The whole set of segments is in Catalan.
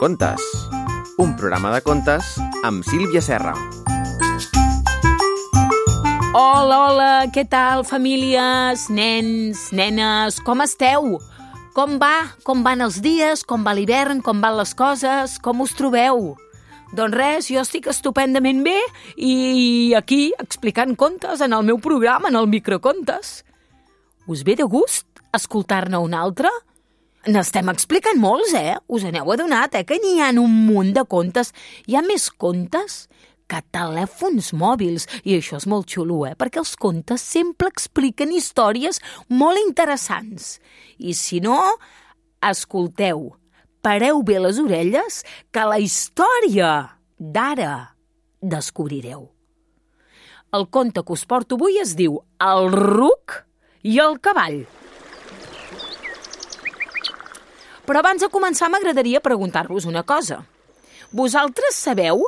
Microcontes, un programa de contes amb Sílvia Serra. Hola, hola, què tal, famílies, nens, nenes, com esteu? Com va? Com van els dies? Com va l'hivern? Com van les coses? Com us trobeu? Doncs res, jo estic estupendament bé i aquí explicant contes en el meu programa, en el Microcontes. Us ve de gust escoltar-ne un altre? N'estem explicant molts, Us n'heu adonat, que n'hi ha un munt de contes. Hi ha més contes que telèfons mòbils, i això és molt xulo, perquè els contes sempre expliquen històries molt interessants. I si no, escolteu, pareu bé les orelles, que la història d'ara descobrireu. El conte que us porto avui es diu El ruc i el cavall. Però abans de començar m'agradaria preguntar-vos una cosa. Vosaltres sabeu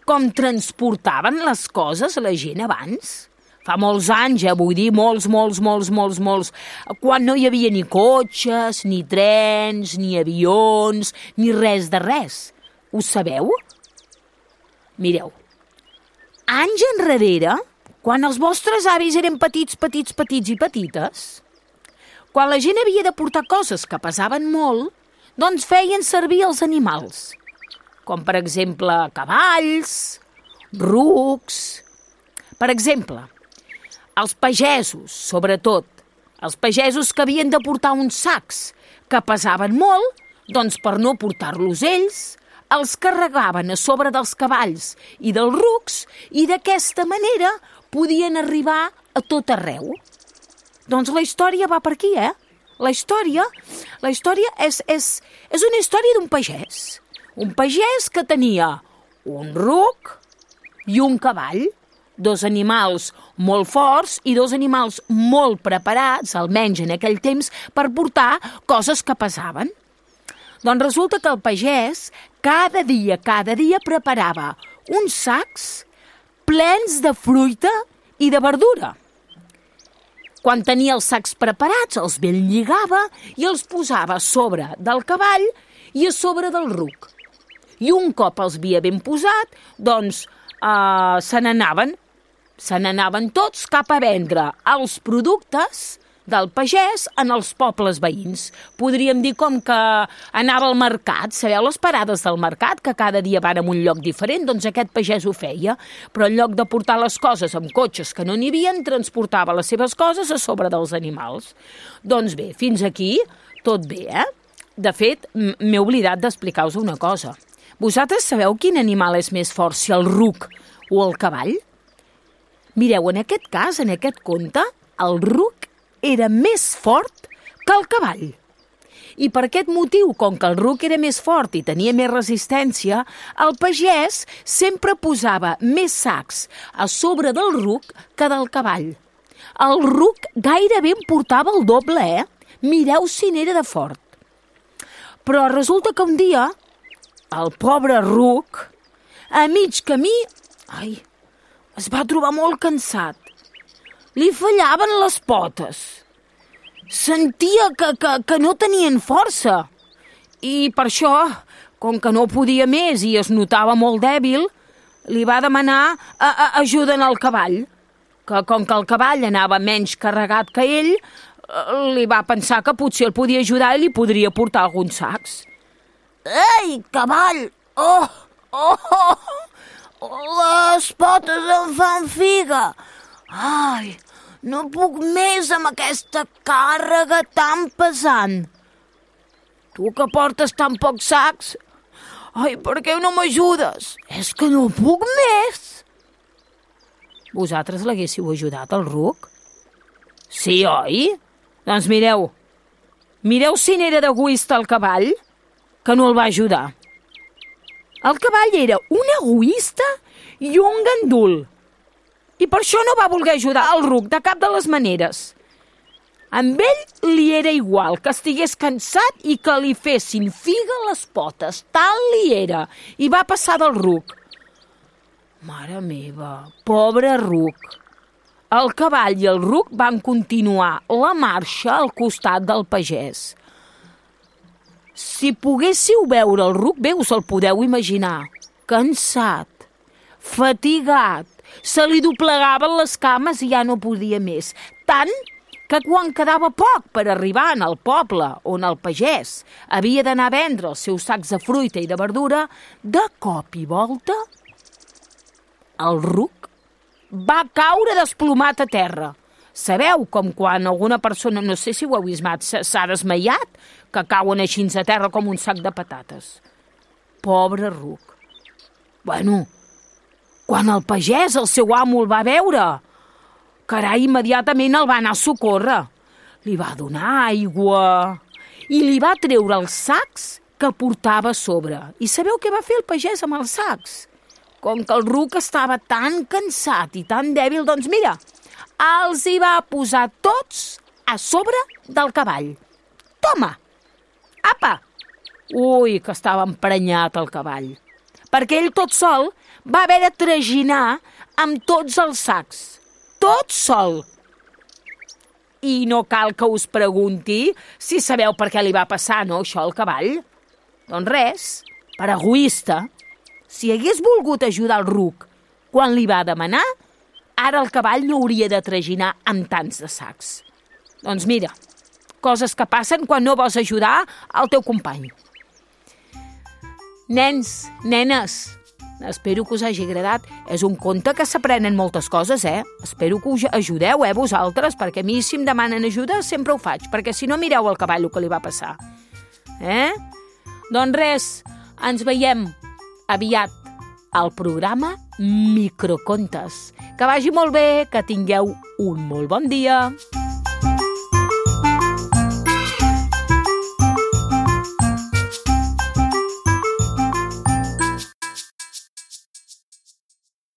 com transportaven les coses la gent abans? Fa molts anys, vull dir, molts, quan no hi havia ni cotxes, ni trens, ni avions, ni res de res. Ho sabeu? Mireu, anys enrere, quan els vostres avis eren petits i petites, quan la gent havia de portar coses que pesaven molt, doncs feien servir els animals, com per exemple cavalls, rucs. Per exemple, els pagesos, sobretot, els pagesos que havien de portar uns sacs que pesaven molt, doncs per no portar-los ells, els carregaven a sobre dels cavalls i dels rucs i d'aquesta manera podien arribar a tot arreu. Doncs la història va per aquí, La història és una història d'un pagès. Un pagès que tenia un ruc i un cavall, dos animals molt forts i dos animals molt preparats, almenys en aquell temps, per portar coses que pesaven. Doncs resulta que el pagès cada dia preparava uns sacs plens de fruita i de verdura. Quan tenia els sacs preparats, els ben lligava i els posava a sobre del cavall i a sobre del ruc. I un cop els havia ben posat, doncs se n'anaven tots cap a vendre els productes del pagès en els pobles veïns. Podríem dir com que anava al mercat, sabeu les parades del mercat, que cada dia van a un lloc diferent, doncs aquest pagès ho feia, però en lloc de portar les coses amb cotxes que no n'hi havia, transportava les seves coses a sobre dels animals. Doncs bé, fins aquí tot bé, De fet, m'he oblidat d'explicar-vos una cosa. Vosaltres sabeu quin animal és més fort, si el ruc o el cavall? Mireu, en aquest cas, en aquest conte, el ruc era més fort que el cavall. I per aquest motiu, com que el ruc era més fort i tenia més resistència, el pagès sempre posava més sacs a sobre del ruc que del cavall. El ruc gairebé en portava el doble, Mireu si n'era de fort. Però resulta que un dia, el pobre ruc, a mig camí, es va trobar molt cansat. Li fallaven les potes. Sentia que no tenien força. I per això, com que no podia més i es notava molt dèbil, li va demanar ajuda al cavall. Que com que el cavall anava menys carregat que ell, li va pensar que potser el podia ajudar i li podria portar alguns sacs. Ei, cavall! Les potes em fan figa. No puc més amb aquesta càrrega tan pesant. Tu que portes tan pocs sacs? Per què no m'ajudes? És que no puc més. Vosaltres l'haguéssiu ajudat, el ruc? Sí, oi? Doncs mireu si n'era d'egoista el cavall, que no el va ajudar. El cavall era un egoista i un gandul. I per això no va voler ajudar el ruc de cap de les maneres. Amb ell li era igual que estigués cansat i que li fessin figa a les potes. Tal li era. I va passar del ruc. Mare meva, pobre ruc. El cavall i el ruc van continuar la marxa al costat del pagès. Si poguéssiu veure el ruc, bé us el podeu imaginar. Cansat, fatigat, se li doblegaven les cames i ja no podia més. Tant que quan quedava poc per arribar al poble on el pagès havia d'anar a vendre els seus sacs de fruita i de verdura, de cop i volta el ruc va caure desplomat a terra. Sabeu com quan alguna persona, no sé si ho heu vist mai, s'ha desmaiat, que cauen així a terra com un sac de patates. Pobre ruc. Bueno, quan el pagès, el seu amo, el va veure, carai, immediatament el va anar a socórrer. Li va donar aigua i li va treure els sacs que portava a sobre. I sabeu què va fer el pagès amb els sacs? Com que el ruc estava tan cansat i tan dèbil, doncs mira, els hi va posar tots a sobre del cavall. Toma! Apa! Ui, que estava emprenyat el cavall. Perquè ell tot sol va haver de traginar amb tots els sacs. Tot sol. I no cal que us pregunti si sabeu per què li va passar, no, això al cavall. Doncs res, per egoista. Si hagués volgut ajudar el ruc quan li va demanar, ara el cavall no hauria de traginar amb tants de sacs. Doncs mira, coses que passen quan no vols ajudar al teu company. Nens, nenes, espero que us hagi agradat. És un conte que s'aprenen moltes coses, Espero que us ajudeu, vosaltres, perquè a mi si em demanen ajuda sempre ho faig, perquè si no mireu al cavall el que li va passar. Doncs res, ens veiem aviat al programa Microcontes. Que vagi molt bé, que tingueu un molt bon dia.